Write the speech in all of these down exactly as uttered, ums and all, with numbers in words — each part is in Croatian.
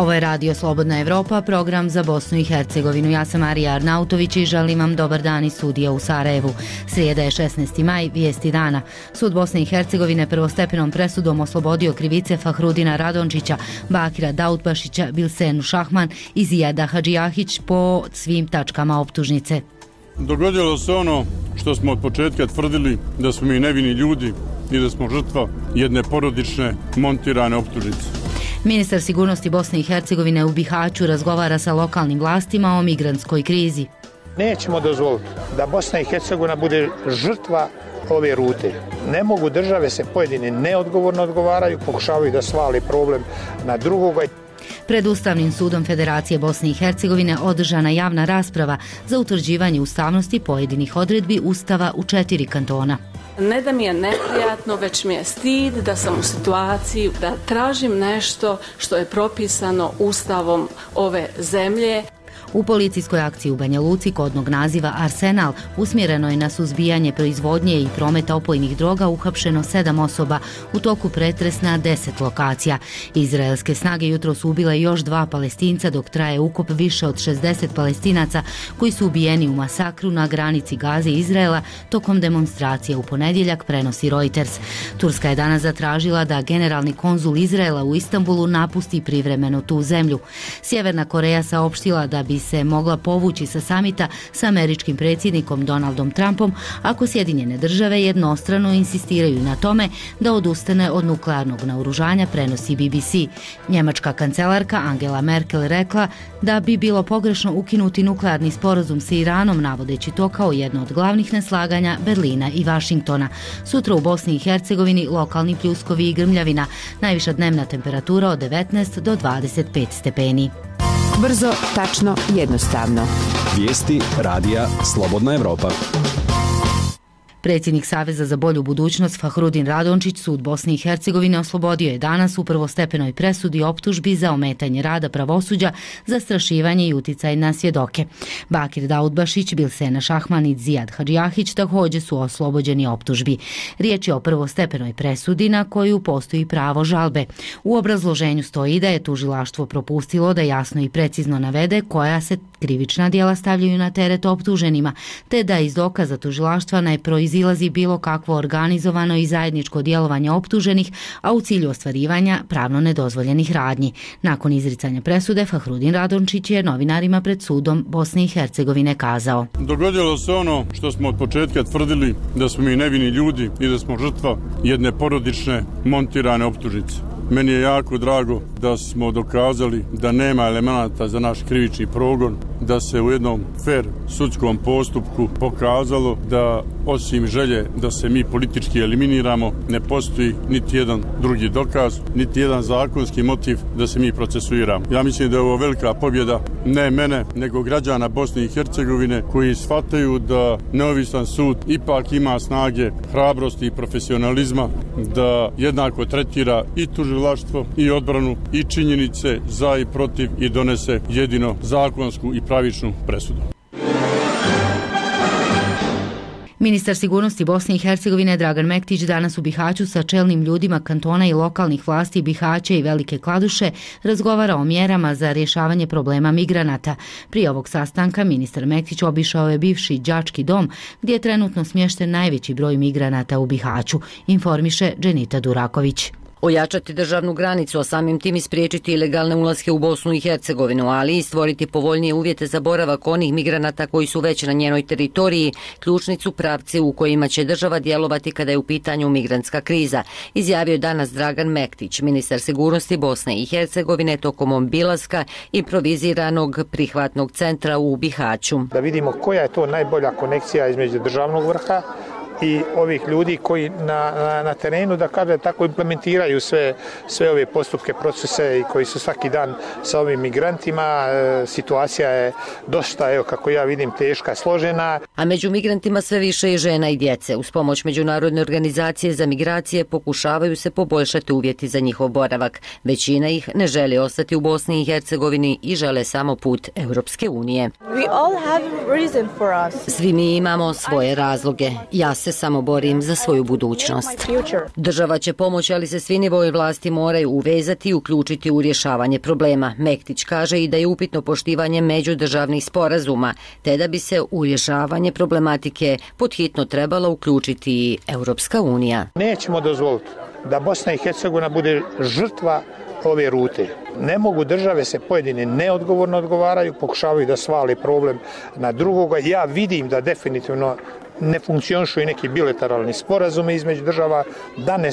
Ovo je Radio Slobodna Evropa, program za Bosnu i Hercegovinu. Ja sam Marija Arnautović i želim vam dobar dan iz studija u Sarajevu. Srijeda je šesnaesti maj, vijesti dana. Sud Bosne i Hercegovine prvostepenom presudom oslobodio krivice Fahrudina Radončića, Bakira Daudbašića, Bilsenu Šahman i Zijada Hadžijahić po svim tačkama optužnice. Dogodilo se ono što smo od početka tvrdili, da smo mi nevini ljudi i da smo žrtva jedne porodične montirane optužnice. Ministar sigurnosti Bosne i Hercegovine u Bihaću razgovara sa lokalnim vlastima o migrantskoj krizi. Nećemo dozvoliti da Bosna i Hercegovina bude žrtva ove rute. Ne mogu države se pojedine neodgovorno odgovaraju, pokušavaju da svali problem na drugoga. Pred Ustavnim sudom Federacije Bosne i Hercegovine održana javna rasprava za utvrđivanje ustavnosti pojedinih odredbi Ustava u četiri kantona. Ne da mi je neprijatno, već mi je stid da sam u situaciji da tražim nešto što je propisano Ustavom ove zemlje. U policijskoj akciji u Banja Luci kodnog naziva Arsenal usmjereno je na suzbijanje proizvodnje i prometa opojnih droga uhapšeno sedam osoba u toku pretres na deset lokacija. Izraelske snage jutro su ubile još dva Palestinca dok traje ukop više od šezdeset Palestinaca koji su ubijeni u masakru na granici Gaze i Izraela tokom demonstracije u ponedjeljak, prenosi Reuters. Turska je danas zatražila da generalni konzul Izraela u Istanbulu napusti privremeno tu zemlju. Sjeverna Koreja saopštila da bi se mogla povući sa samita sa američkim predsjednikom Donaldom Trumpom ako Sjedinjene države jednostrano insistiraju na tome da odustane od nuklearnog naoružanja, prenosi B B C. Njemačka kancelarka Angela Merkel rekla da bi bilo pogrešno ukinuti nuklearni sporazum sa Iranom, navodeći to kao jedno od glavnih neslaganja Berlina i Vašingtona. Sutra u Bosni i Hercegovini lokalni pljuskovi i grmljavina, najviša dnevna temperatura od devetnaest do dvadeset pet stepeni. Brzo, tačno, jednostavno. Vijesti radija Slobodna Evropa. Predsjednik Saveza za bolju budućnost Fahrudin Radončić sud Bosne i Hercegovine oslobodio je danas u prvostepenoj presudi optužbi za ometanje rada pravosuđa, zastrašivanje i uticaj na svjedoke. Bakir Daudbašić, Bilsena Šahman i Zijad Hadžijahić također su oslobođeni optužbi. Riječ je o prvostepenoj presudi na koju postoji pravo žalbe. U obrazloženju stoji da je tužilaštvo propustilo da jasno i precizno navede koja se krivična djela stavljaju na teret optuženima, te da iz dokaza tužilaštva ne proizilazi bilo kakvo organizovano i zajedničko djelovanje optuženih, a u cilju ostvarivanja pravno nedozvoljenih radnji. Nakon izricanja presude, Fahrudin Radončić je novinarima pred sudom Bosne i Hercegovine kazao: Dogodilo se ono što smo od početka tvrdili, da smo mi nevini ljudi i da smo žrtva jedne porodične montirane optužnice. Meni je jako drago da smo dokazali da nema elemenata za naš krivični progon, da se u jednom fer sudskom postupku pokazalo da osim želje da se mi politički eliminiramo, ne postoji niti jedan drugi dokaz, niti jedan zakonski motiv da se mi procesuiramo. Ja mislim da je ovo velika pobjeda ne mene, nego građana Bosne i Hercegovine koji shvataju da neovisan sud ipak ima snage, hrabrosti i profesionalizma da jednako tretira i tužilaštvo i odbranu i činjenice za i protiv i donese jedino zakonsku i pravičnu presudu. Ministar sigurnosti Bosne i Hercegovine Dragan Mektić danas u Bihaću sa čelnim ljudima kantona i lokalnih vlasti Bihaća i Velike Kladuše razgovara o mjerama za rješavanje problema migranata. Prije ovog sastanka ministar Mektić obišao je bivši đački dom gdje je trenutno smješten najveći broj migranata u Bihaću, informiše Dženita Duraković. Ojačati državnu granicu, a samim tim ispriječiti ilegalne ulaske u Bosnu i Hercegovinu, ali i stvoriti povoljnije uvjete za boravak onih migranata koji su već na njenoj teritoriji, ključni su pravci u kojima će država djelovati kada je u pitanju migrantska kriza, izjavio je danas Dragan Mektić, ministar sigurnosti Bosne i Hercegovine tokom obilaska improviziranog prihvatnog centra u Bihaću. Da vidimo koja je to najbolja konekcija između državnog vrha i ovih ljudi koji na, na, na terenu, da kaže tako, implementiraju sve, sve ove postupke, procese i koji su svaki dan sa ovim migrantima. E, situacija je dosta, evo kako ja vidim, teška, složena. A među migrantima sve više i žena i djece. Uz pomoć Međunarodne organizacije za migracije pokušavaju se poboljšati uvjeti za njihov boravak. Većina ih ne želi ostati u Bosni i Hercegovini i žele samo put Europske unije. We all have reason for us. Svi mi imamo svoje razloge. Ja se se samo borim za svoju budućnost. Država će pomoći, ali se svi nivoji vlasti moraju uvezati i uključiti u rješavanje problema. Mektić kaže i da je upitno poštivanje međudržavnih sporazuma, te da bi se u rješavanje problematike podhitno trebala uključiti i Europska unija. Nećemo dozvoliti da Bosna i Hercegovina bude žrtva ove rute. Ne mogu države se pojedine neodgovorno odgovaraju, pokušavaju da svali problem na drugoga. Ja vidim da definitivno ne funkcionišu i neki bilateralni sporazumi između država, da ne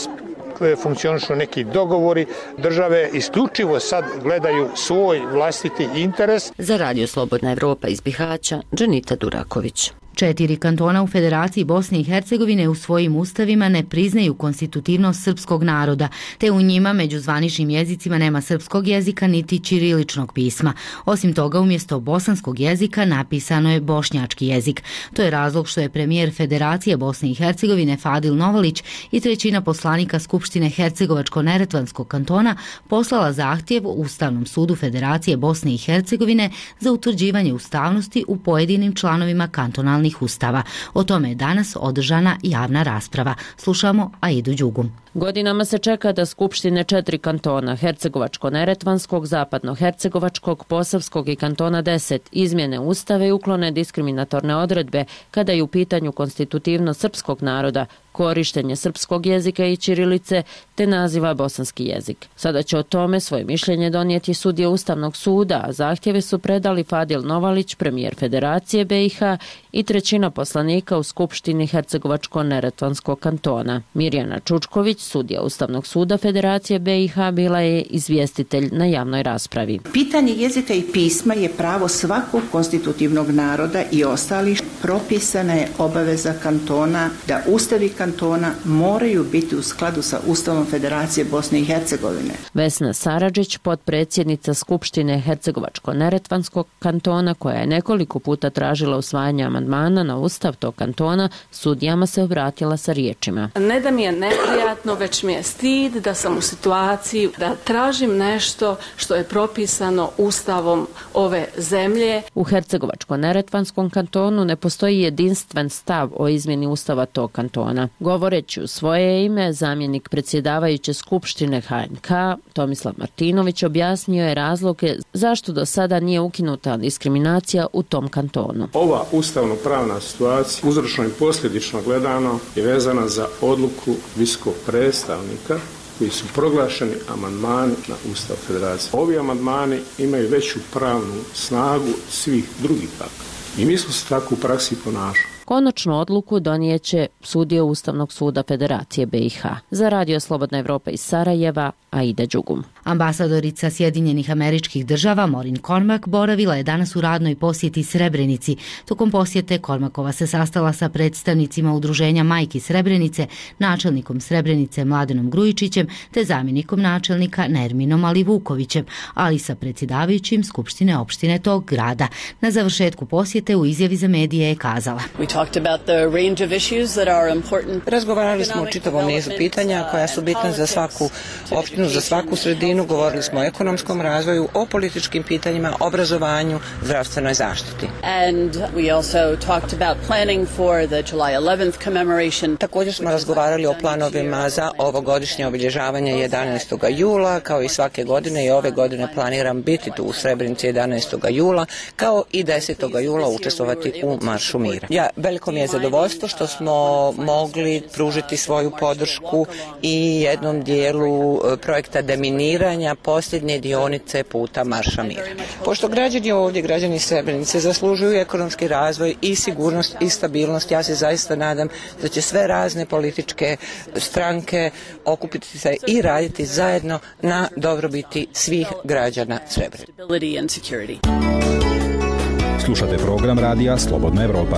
funkcionišu neki dogovori. Države isključivo sad gledaju svoj vlastiti interes. Za Radio Slobodna Evropa iz Bihaća, Dženita Duraković. Četiri kantona u Federaciji Bosne i Hercegovine u svojim ustavima ne priznaju konstitutivnost srpskog naroda, te u njima među zvaničnim jezicima nema srpskog jezika niti ćiriličnog pisma. Osim toga, umjesto bosanskog jezika napisano je bošnjački jezik. To je razlog što je premijer Federacije Bosne i Hercegovine Fadil Novalić i trećina poslanika Skupštine Hercegovačko-neretvanskog kantona poslala zahtjev Ustavnom sudu Federacije Bosne i Hercegovine za utvrđivanje ustavnosti u pojedinim članovima kantonalnih ustava. O tome je danas održana javna rasprava. Slušamo Aidu Đugu. Godinama se čeka da skupštine četiri kantona, Hercegovačko-neretvanskog, Zapadno-hercegovačkog, Posavskog i kantona deset, izmjene ustave i uklone diskriminatorne odredbe kada je u pitanju konstitutivnost srpskog naroda, korištenje srpskog jezika i ćirilice te naziva bosanski jezik. Sada će o tome svoje mišljenje donijeti sudije Ustavnog suda, a zahtjeve su predali Fadil Novalić, premijer Federacije B i H i trećina poslanika u Skupštini Hercegovačko-neretvanskog kantona. Mirjana Čučković, sudija Ustavnog suda Federacije B i H, bila je izvjestitelj na javnoj raspravi. Pitanje jezika i pisma je pravo svakog konstitutivnog naroda i ostalih. Propisana je obaveza kantona da ustavi kantona moraju biti u skladu sa Ustavom Federacije Bosne i Hercegovine. Vesna Saradžić, potpredsjednica Skupštine Hercegovačko-neretvanskog kantona, koja je nekoliko puta tražila usvajanje amandmana na ustav tog kantona, sudijama se obratila sa riječima. Ne da mi je neprijatno, već mi je stid da sam u situaciji da tražim nešto što je propisano ustavom ove zemlje. U Hercegovačko-neretvanskom kantonu ne postoji jedinstven stav o izmjeni ustava tog kantona. Govoreći u svoje ime, zamjenik predsjedavajuće Skupštine H N K Tomislav Martinović objasnio je razloge zašto do sada nije ukinuta diskriminacija u tom kantonu. Ova ustavno-pravna situacija, uzročno i posljedično gledano, je vezana za odluku visokog predstavnika koji su proglašeni amandmani na Ustav Federacije. Ovi amandmani imaju veću pravnu snagu svih drugih akata. I mi smo se tako u praksi ponašali. Konačnu odluku donijeće sudije Ustavnog suda Federacije B i H. Za Radio Slobodna Evropa iz Sarajeva, Aida Đugum. Ambasadorica Sjedinjenih Američkih Država Maureen Cormack boravila je danas u radnoj posjeti Srebrenici. Tokom posjete Cormackova se sastala sa predstavnicima Udruženja Majki Srebrenice, načelnikom Srebrenice Mladenom Grujičićem te zamjenikom načelnika Nerminom Alivukovićem, ali i sa predsjedavajućim Skupštine opštine tog grada. Na završetku posjete u izjavi za medije je kazala: Razgovarali smo o čitavom nizu pitanja koja su bitna za svaku opštinu, za svaku sredinu. Govorili smo o ekonomskom razvoju, o političkim pitanjima, obrazovanju, zdravstvenoj zaštiti. Također smo razgovarali o planovima za ovogodišnje obilježavanje jedanaestog jula. Kao i svake godine i ove godine planiram biti tu u Srebrenici jedanaestog jula, kao i desetog jula učestvovati u Maršu mira. Ja, veliko mi je zadovoljstvo što smo mogli pružiti svoju podršku i jednom dijelu projekta deminiranja posljednje dionice puta Marša mira. Pošto građani ovdje, građani Srebrenice zaslužuju ekonomski razvoj i sigurnost i stabilnost, ja se zaista nadam da će sve razne političke stranke okupiti se i raditi zajedno na dobrobiti svih građana Srebrenice. Slušate program radija Slobodna Evropa.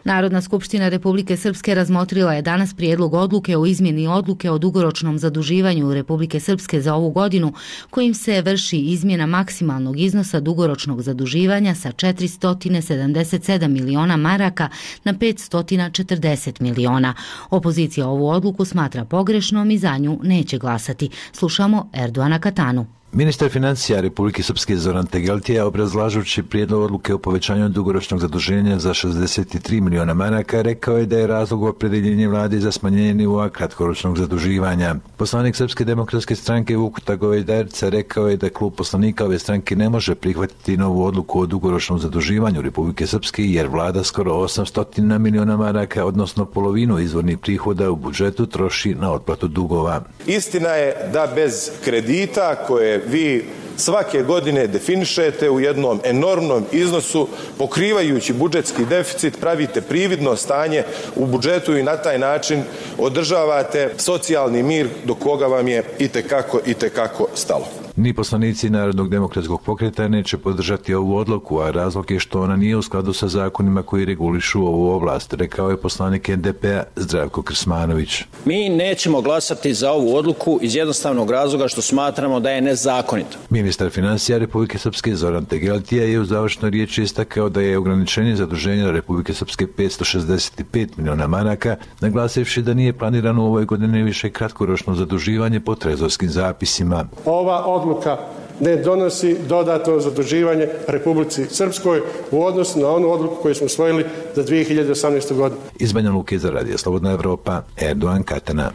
Narodna skupština Republike Srpske razmotrila je danas prijedlog odluke o izmjeni odluke o dugoročnom zaduživanju Republike Srpske za ovu godinu, kojim se vrši izmjena maksimalnog iznosa dugoročnog zaduživanja sa četiristo sedamdeset sedam miliona maraka na petsto četrdeset miliona. Opozicija ovu odluku smatra pogrešnom i za nju neće glasati. Slušamo Erdoana Katanu. Ministar financija Republike Srpske Zoran Tegeltija, obrazlažući prijedlog odluke o povećanju dugoročnog zaduženja za šezdeset tri miliona maraka, rekao je da je razlog opredeljenja vlade za smanjenje nivoa kratkoročnog zaduživanja. Poslanik Srpske demokratske stranke Vukuta Govedarca rekao je da klub poslanika ove stranke ne može prihvatiti novu odluku o dugoročnom zaduživanju Republike Srpske jer vlada skoro osamsto miliona maraka, odnosno polovinu izvornih prihoda u budžetu troši na otplatu dugova. Istina je da bez kredita koje vi svake godine definišete u jednom enormnom iznosu, pokrivajući budžetski deficit, pravite prividno stanje u budžetu i na taj način održavate socijalni mir do koga vam je itekako, itekako stalo. Ni poslanici Narodnog demokratskog pokreta neće podržati ovu odluku, a razlog je što ona nije u skladu sa zakonima koji regulišu ovu oblast, rekao je poslanik N D P-a Zdravko Krsmanović. Mi nećemo glasati za ovu odluku iz jednostavnog razloga što smatramo da je nezakonita. Ministar financija Republike Srpske Zoran Tegeltija je u završnoj riječi istakao da je ograničenje zaduženja Republike Srpske petsto šezdeset pet miliona maraka, naglasivši da nije planirano u ovoj godini više kratkoročno zaduživanje po trezorskim zapisima. Ova odluka ne donosi dodatno zaduživanje Republici Srpskoj u odnosu na onu odluku koju smo usvojili za dvije hiljade osamnaestu. godinu. Iz Banja Luke za Radio Slobodna Evropa, Erdogan Katana.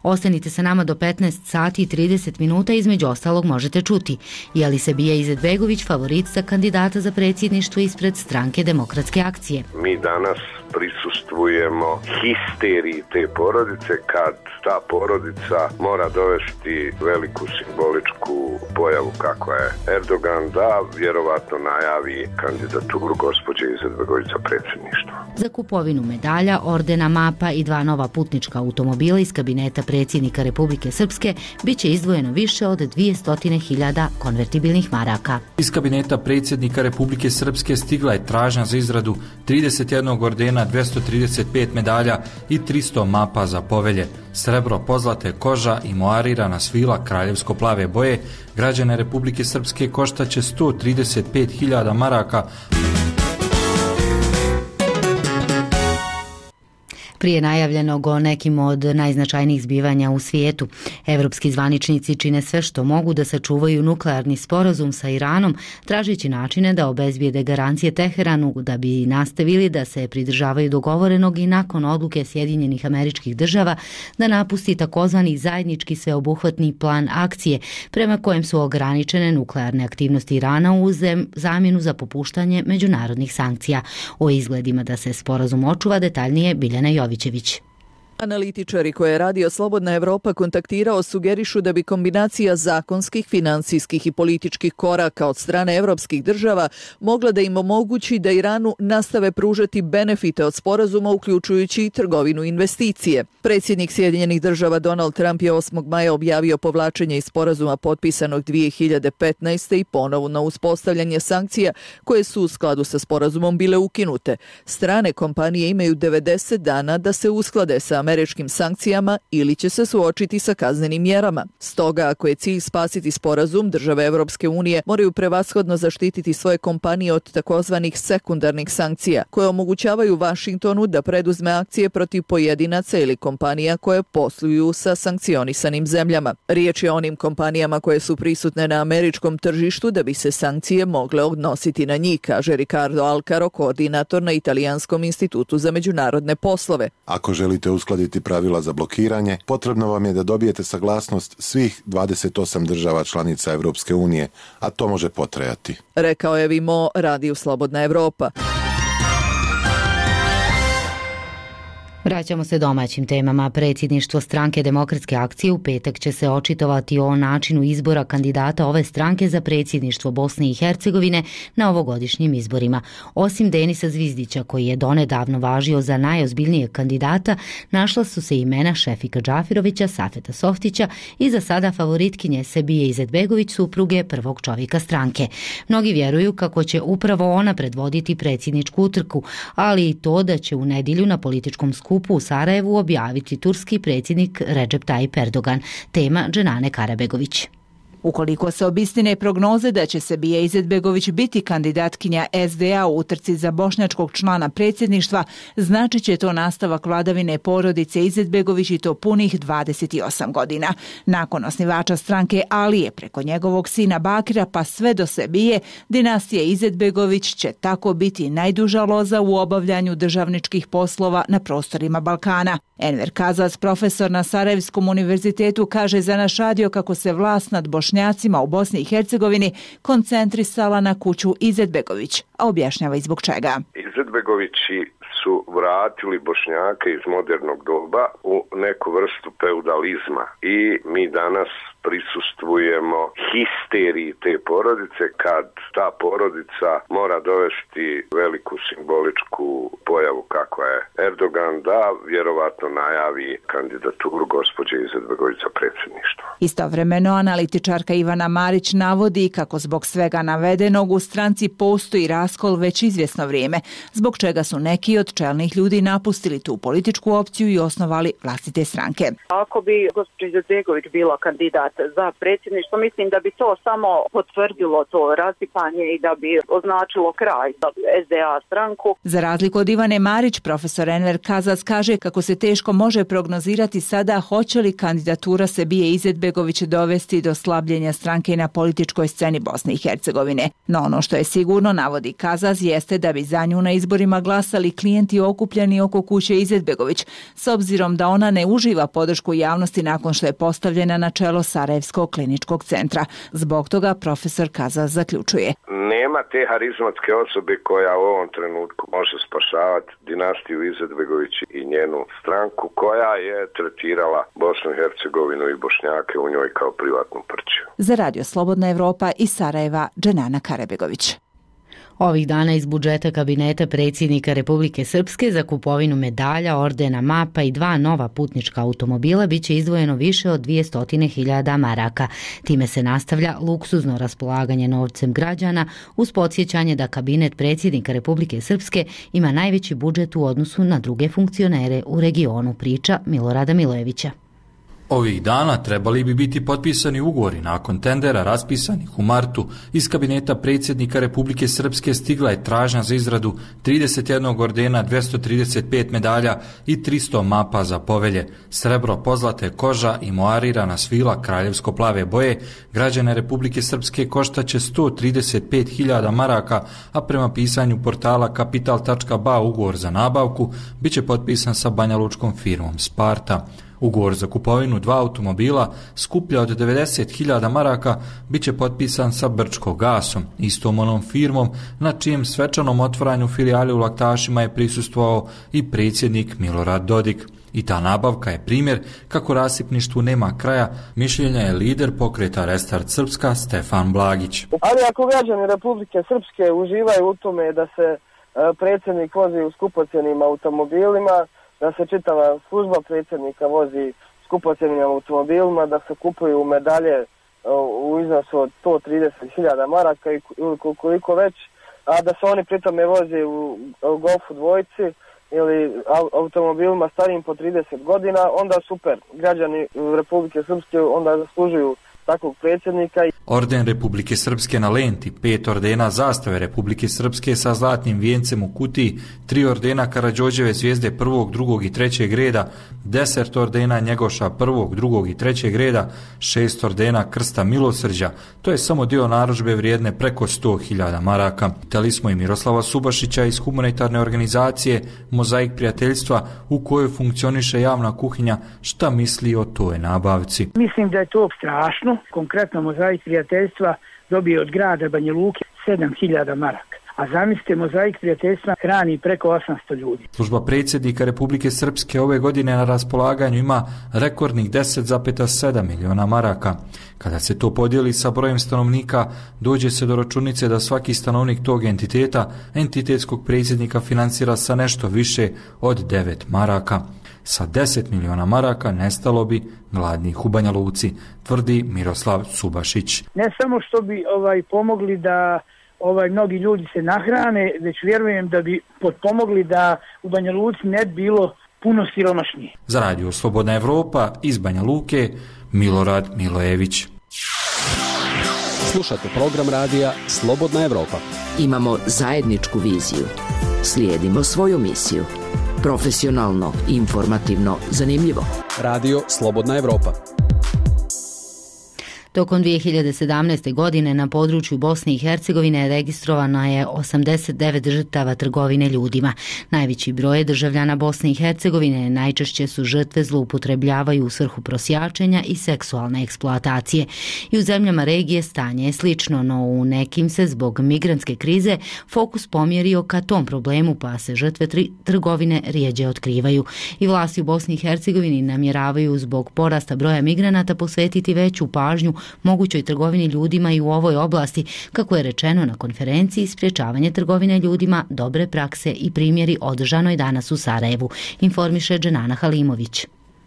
Ostanite sa nama do petnaest sati i trideset minuta, između ostalog možete čuti. Je li Sebija Izetbegović favorit za kandidata za predsjedništvo ispred stranke Demokratske akcije? Mi danas prisustvujemo histeriji te porodice kad ta porodica mora dovesti veliku simboličku pojavu kakva je Erdogan da vjerovatno najavi kandidaturu gospođe Izetbegović za predsjedništvo. Za kupovinu medalja, ordena, mapa i dva nova putnička automobila iz kabineta predsjednika Republike Srpske bit će izdvojeno više od dvjesto hiljada konvertibilnih maraka. Iz kabineta predsjednika Republike Srpske stigla je tražnja za izradu trideset jedan ordena, dvjesto trideset pet medalja i tristo mapa za povelje. Srebro, pozlate, koža i moarirana svila kraljevsko-plave boje građane Republike Srpske koštaće sto trideset pet hiljada maraka. Prije najavljenog o nekim od najznačajnijih zbivanja u svijetu, evropski zvaničnici čine sve što mogu da sačuvaju nuklearni sporazum sa Iranom, tražeći načine da obezbijede garancije Teheranu da bi nastavili da se pridržavaju dogovorenog i nakon odluke Sjedinjenih Američkih Država da napusti takozvani zajednički sveobuhvatni plan akcije, prema kojem su ograničene nuklearne aktivnosti Irana u zamjenu za popuštanje međunarodnih sankcija. O izgledima da se sporazum očuva detaljnije Biljana Jović. Analitičari koje je Radio Slobodna Evropa kontaktirao sugerišu da bi kombinacija zakonskih, financijskih i političkih koraka od strane evropskih država mogla da im omogući da Iranu nastave pružati benefite od sporazuma, uključujući i trgovinu i investicije. Predsjednik Sjedinjenih Država Donald Trump je osmog maja objavio povlačenje iz sporazuma potpisanog dvije hiljade petnaeste. i ponovno uspostavljanje sankcija koje su u skladu sa sporazumom bile ukinute. Strane kompanije imaju devedeset dana da se usklade sa američkim sankcijama ili će se suočiti sa kaznenim mjerama. Stoga, ako je cilj spasiti sporazum, države Evropske unije moraju prevashodno zaštititi svoje kompanije od takozvanih sekundarnih sankcija, koje omogućavaju Vašingtonu da preduzme akcije protiv pojedinaca ili kompanija koje posluju sa sankcionisanim zemljama. Riječ je o onim kompanijama koje su prisutne na američkom tržištu da bi se sankcije mogle odnositi na njih, kaže Ricardo Alcaro, koordinator na Italijanskom institutu za međunarodne poslove. Ako želite uskladiti pravila za blokiranje, potrebno vam je da dobijete saglasnost svih dvadeset osam država članica Evropske unije, a to može potrajati. Rekao je Vimo, Radio Slobodna Evropa. Vraćamo se domaćim temama. Predsjedništvo stranke Demokratske akcije u petak će se očitovati o načinu izbora kandidata ove stranke za predsjedništvo Bosne i Hercegovine na ovogodišnjim izborima. Osim Denisa Zvizdića, koji je donedavno važio za najozbiljnijeg kandidata, našla su se imena Šefika Džafirovića, Safeta Softića i za sada favoritkinje Sebije Izetbegović, supruge prvog čovjeka stranke. Mnogi vjeruju kako će upravo ona predvoditi predsjedničku utrku, ali i to da će u nedjelju na političkom skupu u Sarajevu objaviti turski predsjednik Recep Tayyip Erdogan. Tema Dženane Karabegović. Ukoliko se obistine prognoze da će Sebija Izetbegović biti kandidatkinja S D A u utrci za bošnjačkog člana predsjedništva, znači će to nastavak vladavine porodice Izetbegović i to punih dvadeset osam godina. Nakon osnivača stranke Alije preko njegovog sina Bakira pa sve do Sebije, dinastija Izetbegović će tako biti najduža loza u obavljanju državničkih poslova na prostorima Balkana. Enver Kazas, profesor na Sarajevskom univerzitetu, kaže za naš radio kako se vlast nad Bošnjacima u Bosni i Hercegovini koncentrisala na kuću Izetbegović, a objašnjava i zbog čega. Izetbegovići su vratili Bošnjake iz modernog doba u neku vrstu feudalizma i mi danas prisustvujemo histeriji te porodice kad ta porodica mora dovesti veliku simboličku pojavu kakva je Erdogan da vjerovatno najavi kandidaturu gospođe Izetbegović za predsjedništvo. Istovremeno analitičarka Ivana Marić navodi kako zbog svega navedenog u stranci postoji raskol već izvjesno vrijeme, zbog čega su neki od čelnih ljudi napustili tu političku opciju i osnovali vlastite stranke. Ako bi gospođa Izetbegović bila kandidat za predsjedništvo, mislim da bi to samo potvrdilo to rasipanje i da bi označilo kraj za S D A stranku. Za razliku od Ivane Marić, profesor Enver Kazas kaže kako se teško može prognozirati sada hoće li kandidatura Sebije Izetbegović dovesti do slabljenja stranke na političkoj sceni Bosne i Hercegovine. No ono što je sigurno, navodi Kazas, jeste da bi za nju na izborima glasali klijenti okupljeni oko kuće Izetbegović, s obzirom da ona ne uživa podršku javnosti nakon što je postavljena na čelo Sarajevskog kliničkog centra. Zbog toga profesor Kazas zaključuje: nema te harizmatske osobe koja u ovom trenutku može spašavati dinastiju Izetbegović i njenu stranku koja je tretirala Bosnu i Hercegovinu i Bošnjake u njoj kao privatnu prćiju. Za Radio Slobodna Evropa iz Sarajeva, Dženana Karebegović. Ovih dana iz budžeta kabineta predsjednika Republike Srpske za kupovinu medalja, ordena, mapa i dva nova putnička automobila biće izdvojeno više od dvjesto hiljada maraka. Time se nastavlja luksuzno raspolaganje novcem građana uz podsjećanje da kabinet predsjednika Republike Srpske ima najveći budžet u odnosu na druge funkcionere u regionu, priča Milorada Milojevića. Ovih dana trebali bi biti potpisani ugovori nakon tendera raspisanih u martu. Iz kabineta predsjednika Republike Srpske stigla je tražnja za izradu trideset jedan ordena, dvjesto trideset pet medalja i tristo mapa za povelje. Srebro, pozlate, koža i moarirana svila kraljevsko-plave boje građane Republike Srpske koštaće sto trideset pet hiljada maraka, a prema pisanju portala kapital tačka ba ugovor za nabavku biće potpisan sa banjalučkom firmom Sparta. Ugovor za kupovinu dva automobila skuplja od devedeset hiljada maraka biće potpisan sa Brčko gasom, istom onom firmom na čijem svečanom otvaranju filijale u Laktašima je prisustvovao i predsjednik Milorad Dodik. I ta nabavka je primjer kako rasipništvu nema kraja, mišljenja je lider pokreta Restart Srpska Stefan Blagić. Ali ako građani Republike Srpske uživaju u tome da se predsjednik vozi u skupocjenim automobilima, da se čitava služba predsjednika vozi skupocjenim automobilima, da se kupuju medalje u iznosu od sto trideset hiljada maraka ili koliko već, a da se oni pritome vozi u Golfu dvojci ili automobilima starijim po trideset godina, onda super. Građani Republike Srpske onda zaslužuju takvog predsjednika. Orden Republike Srpske na lenti, pet ordena zastave Republike Srpske sa zlatnim vijencem u kutiji, tri ordena Karađorđeve zvijezde prvog, drugog i trećeg reda, deset ordena Njegoša prvog, drugog i trećeg reda, šest ordena Krsta milosrđa. To je samo dio narudžbe vrijedne preko sto hiljada maraka. Pitali smo i Miroslava Subašića iz humanitarne organizacije Mozaik prijateljstva u kojoj funkcioniše javna kuhinja, šta misli o toj nabavci. Mislim da je to strašno. Konkretno Mozaik prijateljstva dobije od grada Banja Luke sedam hiljada maraka. A zamislite, Mozaik prijateljstva hrani preko osamsto ljudi. Služba predsjednika Republike Srpske ove godine na raspolaganju ima rekordnih deset zarez sedam miliona maraka. Kada se to podijeli sa brojem stanovnika, dođe se do računice da svaki stanovnik tog entiteta, entitetskog predsjednika financira sa nešto više od devet maraka. Sa deset miliona maraka nestalo bi gladnih u Banja Luci, tvrdi Miroslav Subašić. Ne samo što bi ovaj pomogli da ovaj mnogi ljudi se nahrane, već vjerujem da bi potpomogli da u Banja Luci ne bilo puno siromašnije. Za Radio Slobodna Evropa iz Banja Luke, Milorad Milojević. Slušate program radija Slobodna Evropa. Imamo zajedničku viziju. Slijedimo svoju misiju. Profesionalno, informativno, zanimljivo. Radio Slobodna Evropa. Tokom dvije hiljade sedamnaeste. godine na području Bosne i Hercegovine registrovano je osamdeset devet žrtava trgovine ljudima. Najveći broj državljana Bosne i Hercegovine najčešće su žrtve zloupotrebljavaju u svrhu prosjačenja i seksualne eksploatacije. I u zemljama regije stanje je slično, no u nekim se zbog migrantske krize fokus pomjerio ka tom problemu, pa se žrtve tri- trgovine rijeđe otkrivaju. I vlasti u Bosni i Hercegovini namjeravaju zbog porasta broja migranata posvetiti veću pažnju mogućoj trgovini ljudima i u ovoj oblasti, kako je rečeno na konferenciji Sprječavanje trgovine ljudima, dobre prakse i primjeri održanoj danas u Sarajevu, informiše Dženana Halimović.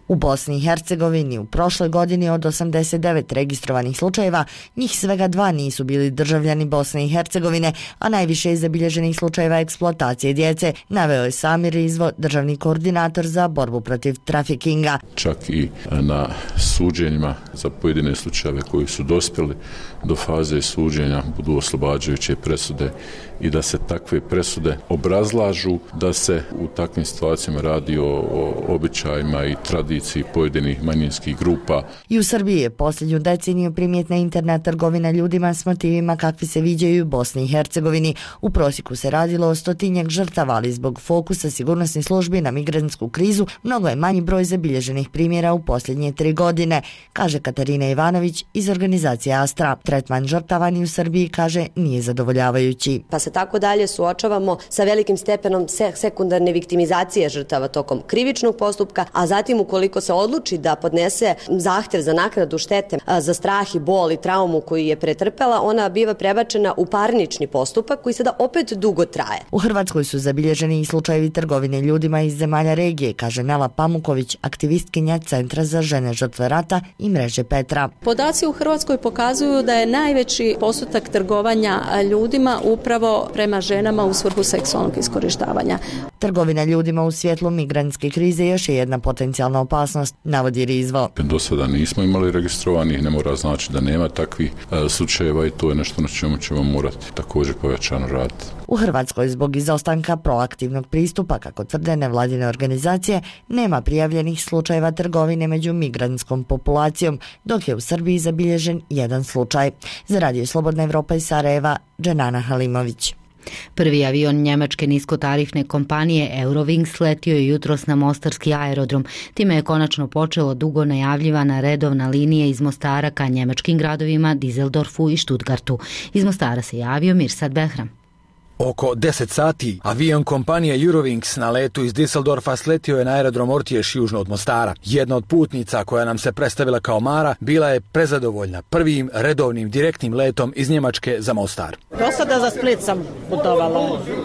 U Bosni i Hercegovini u prošloj godini od osamdeset devet registrovanih slučajeva, njih svega dva nisu bili državljani Bosne i Hercegovine, a najviše je zabilježenih slučajeva eksploatacije djece, naveo je Samir Rizvo, državni koordinator za borbu protiv trafikinga. Čak i na suđenjima za pojedine slučajeve koji su dospjeli do faze suđenja budu oslobađajuće presude i da se takve presude obrazlažu, da se u takvim situacijama radi o, o običajima i tradiciji pojedinih manjinskih grupa. I u Srbiji je posljednju deceniju primjetna interna trgovina ljudima s motivima kakvi se viđaju u Bosni i Hercegovini. U prosjeku se radilo o stotinjak žrtava, ali zbog fokusa sigurnosnih službi na migrantsku krizu mnogo je manji broj zabilježenih primjera u posljednje tri godine, kaže Katarina Ivanović iz organizacije Astra. Tretman žrtava ni u Srbiji, kaže, nije zadovoljavajući. Pa se tako dalje suočavamo sa velikim stepenom sekundarne viktimizacije žrtava tokom krivičnog postupka, a zatim ukoliko se odluči da podnese zahtjev za naknadu štete za strah i bol i traumu koju je pretrpela, ona biva prebačena u parnični postupak koji sada opet dugo traje. U Hrvatskoj su zabilježeni i slučajevi trgovine ljudima iz zemalja regije, kaže Nela Pamuković, aktivistkinja Centra za žene žrtve rata i mreže Petra. Podaci u Hrvatskoj pokazuju da je najveći postotak trgovanja ljudima upravo prema ženama u svrhu seksualnog iskorištavanja. Trgovina ljudima u svjetlu migrantske krize još je jedna potencijalna opasnost, navodi Rizvo. Do sada nismo imali registrovanih, ne mora znači da nema takvih e, slučajeva i to je nešto na čemu ćemo morati također pojačano raditi. U Hrvatskoj zbog izostanka proaktivnog pristupa, kako tvrde nevladine organizacije, nema prijavljenih slučajeva trgovine među migrantskom populacijom, dok je u Srbiji zabilježen jedan slučaj. Za Radio Slobodna Evropa iz Sarajeva, Dženana Halimović. Prvi avion njemačke niskotarifne kompanije Eurowings letio je jutros na mostarski aerodrom. Time je konačno počelo dugo najavljivana redovna linija iz Mostara ka njemačkim gradovima Düsseldorfu i Stuttgartu. Iz Mostara se javio Mirsad Behram. Oko deset sati avion kompanije Eurowings na letu iz Düsseldorfa sletio je na aerodrom Ortješ južno od Mostara. Jedna od putnica koja nam se predstavila kao Mara bila je prezadovoljna prvim redovnim direktnim letom iz Njemačke za Mostar. Do sada za Split sam putovala.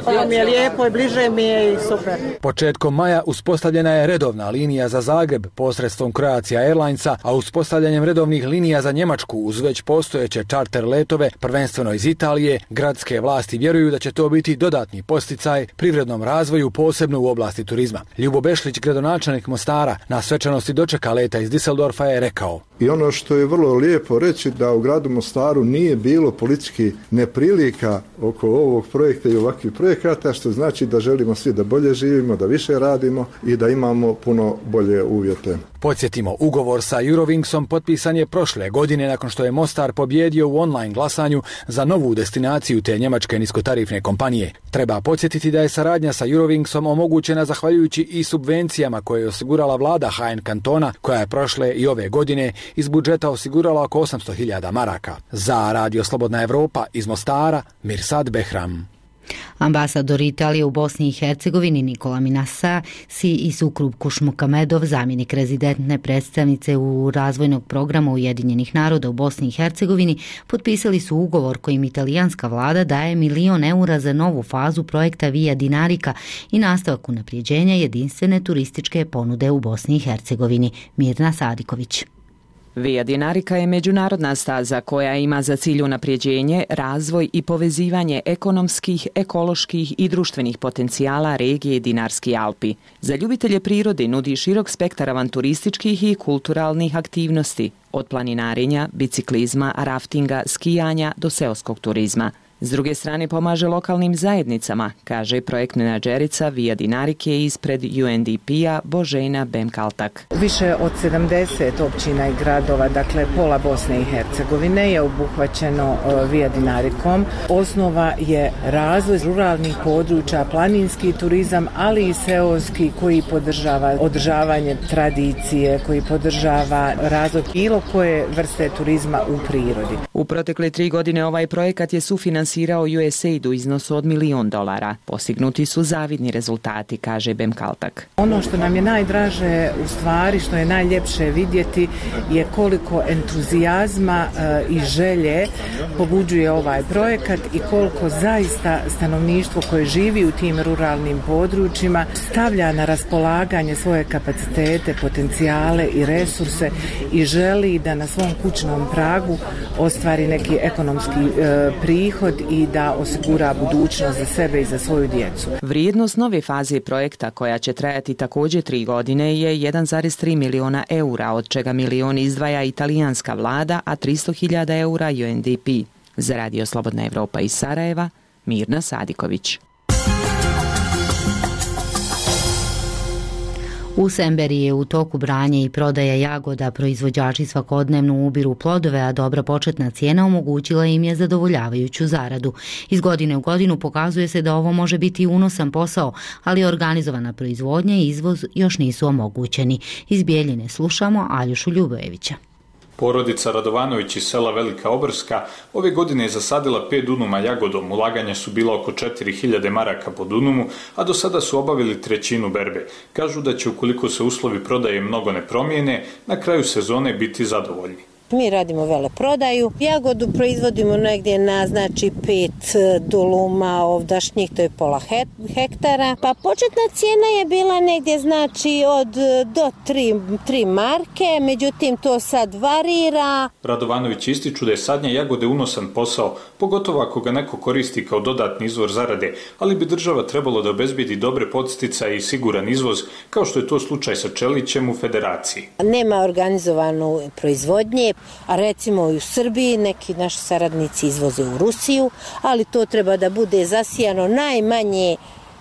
Ovo mi je lijepo i bliže mi je i super. Početkom maja uspostavljena je redovna linija za Zagreb posredstvom Croatia Airlinesa, a uspostavljanjem redovnih linija za Njemačku uz već postojeće čarter letove, prvenstveno iz Italije, gradske vlasti vjeruju da će to biti dodatni posticaj privrednom razvoju, posebno u oblasti turizma. Ljubo Bešlić, gradonačelnik Mostara, na svečanosti dočeka leta iz Düsseldorfa je rekao: I ono što je vrlo lijepo reći da u gradu Mostaru nije bilo politički neprilika oko ovog projekta i ovakvih projekata, što znači da želimo svi da bolje živimo, da više radimo i da imamo puno bolje uvjete. Podsjetimo, ugovor sa Eurowingsom potpisan je prošle godine nakon što je Mostar pobjedio u online glasanju za novu destinaciju te njemačke niskotarifne kompanije. Treba podsjetiti da je saradnja sa Eurowingsom omogućena zahvaljujući i subvencijama koje je osigurala vlada H N kantona, koja je prošle i ove godine iz budžeta osigurala oko osamsto hiljada maraka. Za Radio Slobodna Evropa iz Mostara, Mirsad Behram. Ambasador Italije u Bosni i Hercegovini Nikola Minasa si i Sukrub Kušmukamedov, zamjenik rezidentne predstavnice u razvojnog programa Ujedinjenih naroda u Bosni i Hercegovini, potpisali su ugovor kojim italijanska vlada daje milion eura za novu fazu projekta Via Dinarica i nastavak unaprijeđenja jedinstvene turističke ponude u Bosni i Hercegovini. Mirna Sadiković. Via Dinarica je međunarodna staza koja ima za cilj unapređenje, razvoj i povezivanje ekonomskih, ekoloških i društvenih potencijala regije Dinarski Alpi. Za ljubitelje prirode nudi širok spektar avanturističkih i kulturalnih aktivnosti, od planinarenja, biciklizma, raftinga, skijanja do seoskog turizma. S druge strane pomaže lokalnim zajednicama, kaže projekt menadžerica Via Dinarike ispred U N D P-a Božena Bemkaltak. Više od sedamdeset općina i gradova, dakle pola Bosne i Hercegovine je obuhvaćeno Via Dinarikom. Osnova je razvoj ruralnih područja, planinski turizam, ali i seoski koji podržava održavanje tradicije, koji podržava razvoj bilo koje vrste turizma u prirodi. U protekle tri godine ovaj projekat je sufinansirao U S A I D u iznosu od milion dolara. Postignuti su zavidni rezultati, kaže Bemkaltak. Ono što nam je najdraže, u stvari što je najljepše vidjeti, je koliko entuzijazma e, i želje pobuđuje ovaj projekat i koliko zaista stanovništvo koje živi u tim ruralnim područjima stavlja na raspolaganje svoje kapacitete, potencijale i resurse i želi da na svom kućnom pragu ostvari neki ekonomski e, prihod i da osigura budućnost za sebe i za svoju djecu. Vrijednost nove faze projekta, koja će trajati također tri godine, je jedan zarez tri miliona eura, od čega milion izdvaja italijanska vlada, a tristo hiljada eura U N D P. Za Radio Slobodna Evropa iz Sarajeva, Mirna Sadiković. U Semberiji je u toku branje i prodaja jagoda. Proizvođači svakodnevno ubiru plodove, a dobra početna cijena omogućila im je zadovoljavajuću zaradu. Iz godine u godinu pokazuje se da ovo može biti unosan posao, ali organizovana proizvodnja i izvoz još nisu omogućeni. Iz Bijeljine slušamo Aljušu Ljubojevića. Porodica Radovanović iz sela Velika Obrska ove godine je zasadila pet dunuma jagodom. Ulaganja su bila oko četiri hiljade maraka po dunumu, a do sada su obavili trećinu berbe. Kažu da će, ukoliko se uslovi prodaje mnogo ne promijene, na kraju sezone biti zadovoljni. Mi radimo veleprodaju. Jagodu proizvodimo negdje na znači pet duluma ovdašnjih, to je pola hektara. Pa početna cijena je bila negdje znači od do tri marke, međutim to sad varira. Radovanović ističu da je sadnja jagode unosan posao, pogotovo ako ga neko koristi kao dodatni izvor zarade, ali bi država trebalo da obezbedi dobre podsticaje i siguran izvoz, kao što je to slučaj sa čelićem u Federaciji. Nema organizovanu proizvodnje, a recimo i u Srbiji neki naši saradnici izvoze u Rusiju, ali to treba da bude zasijano najmanje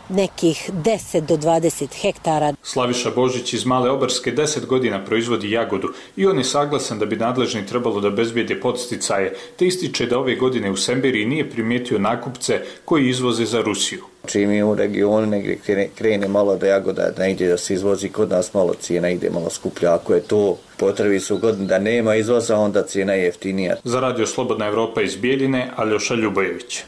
nekih deset do dvadeset hektara. Slaviša Božić iz Male Obrske deset godina proizvodi jagodu i on je saglasan da bi nadležni trebalo da bezbijede podsticaje, te ističe da ove godine u Semberiji nije primijetio nakupce koji izvoze za Rusiju. Čim je u regionu negdje krene, krene malo da jagoda da ide da se izvozi, kod nas malo cijena ide malo skuplja. Ako je to potrebi su godin da nema izvoza, onda cijena je jeftinija. Za Radio Slobodna Evropa iz Bijeljine, Aljoša Ljubojević.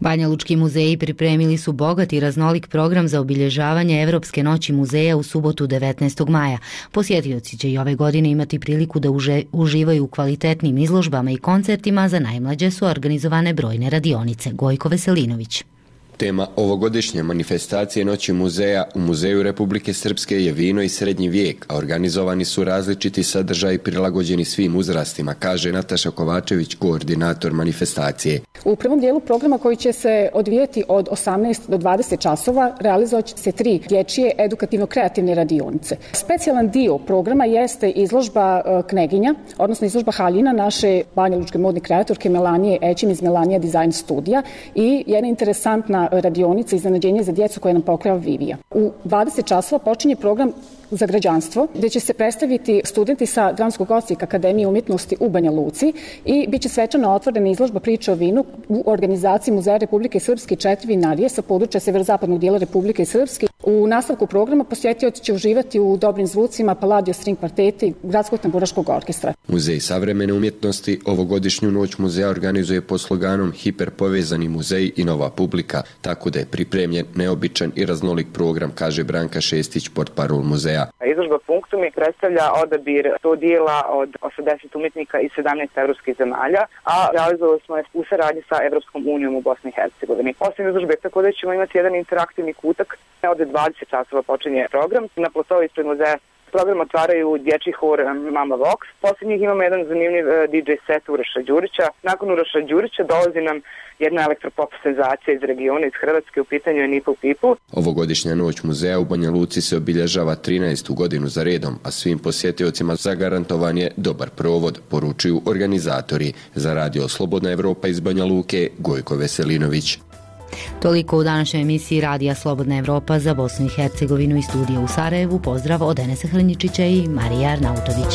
Banjalučki muzeji pripremili su bogat i raznolik program za obilježavanje Evropske noći muzeja u subotu devetnaestog maja. Posjetioci će i ove godine imati priliku da uže, uživaju u kvalitetnim izložbama i koncertima, za najmlađe su organizovane brojne radionice. Gojko Veselinović. Tema ovogodišnje manifestacije Noći muzeja u Muzeju Republike Srpske je vino i srednji vijek, a organizovani su različiti sadržaji prilagođeni svim uzrastima, kaže Nataša Kovačević, koordinator manifestacije. U prvom dijelu programa, koji će se odvijeti od osamnaest do dvadeset časova, realizovat će se tri dječje edukativno-kreativne radionice. Specijalan dio programa jeste izložba Kneginja, odnosno izložba haljina naše banjalučke modne kreatorke Melanije Ećim iz Melanija Design studija i jedna interesantna radionica iznenađenje za djecu koje nam pokreva Vivija. U dvadeset časova počinje program za građanstvo, gdje će se predstaviti studenti sa Dramskog odsjeka Akademije umjetnosti u Banja Luci i bit će svečano otvorena izložba priče o vinu u organizaciji Muzeja Republike Srpske četiri vinarije sa područja severozapadnog dijela Republike Srpske. U nastavku programa posjetioci će uživati u dobrim zvucima Palladio String kvarteta i Gradskog tamburaškog orkestra. Muzej savremene umjetnosti ovogodišnju noć muzeja organizuje pod sloganom Hiperpovezani muzej i nova publika, tako da je pripremljen neobičan i raznolik program, kaže Branka Šestić, portparol muzeja. Izložba Punktumi predstavlja odabir sto dijela od osamdeset umjetnika iz sedamnaest evropskih zemalja, a realizovali smo je u saradnji sa Evropskom unijom u Bosni i Hercegovini. Osim izložbe, tako da ćemo imati jedan interaktivni kutak. Od dvadeset časova počinje program. Na platovi ispred muzeja Program otvaraju dječji hor Mama Vox. Poslije njih imamo jedan zanimljiv D J set Uroša Đurića. Nakon Uroša Đurića dolazi nam jedna elektropop senzacija iz regiona, iz Hrvatske, u pitanju je Nipple People. Ovogodišnja noć muzeja u Banja Luci se obilježava trinaestu godinu za redom, a svim posjetiocima zagarantovan je dobar provod, poručuju organizatori. Za radio Slobodna Evropa iz Banja Luke, Gojko Veselinović. Toliko u današnjoj emisiji Radija Slobodna Evropa za Bosnu i Hercegovinu i studija u Sarajevu. Pozdrav od Enesa Hrnjičića i Marije Arnautović.